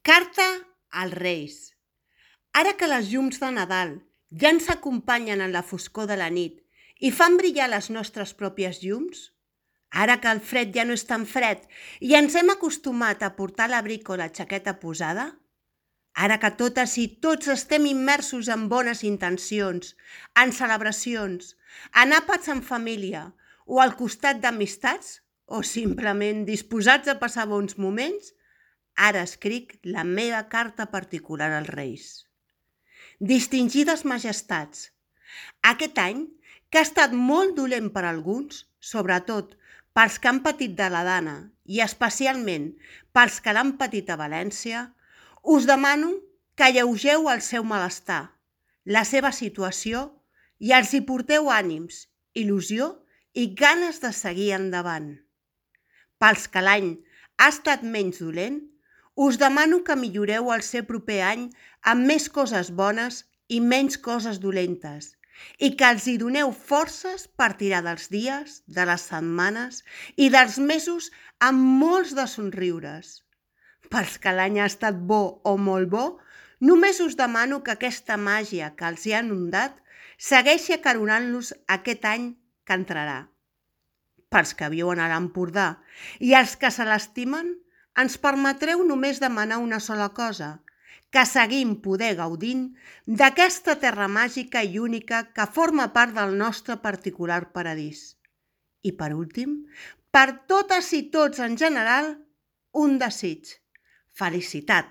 Carta als Reis. Ara que les llums de Nadal ja ens acompanyen en la foscor de la nit i fan brillar les nostres pròpies llums, ara que el fred ja no és tan fred i ens hem acostumat a portar l'abric o la jaqueta posada, ara que totes i tots estem immersos en bones intencions, en celebracions, en àpats en família o al costat d'amistats o simplement disposats a passar bons moments, ara escric la meva carta particular als Reis. Distingides majestats, aquest any, que ha estat molt dolent per alguns, sobretot pels que han patit de la Dana i especialment pels que l'han patit a València, us demano que alleugeu el seu malestar, la seva situació i els hi porteu ànims, il·lusió i ganes de seguir endavant. Pels que l'any ha estat menys dolent, us demano que milloreu el seu proper any amb més coses bones i menys coses dolentes i que els hi doneu forces per tirar dels dies, de les setmanes i dels mesos amb molts de somriures. Pels que l'any ha estat bo o molt bo, només us demano que aquesta màgia que els hi ha inundat segueixi acaronant-los aquest any que entrarà. Pels que viuen a l'Empordà i els que se l'estimen, ens permetreu només demanar una sola cosa, que seguim poder gaudint d'aquesta terra màgica i única que forma part del nostre particular paradís. I per últim, per totes i tots en general, un desig: felicitat.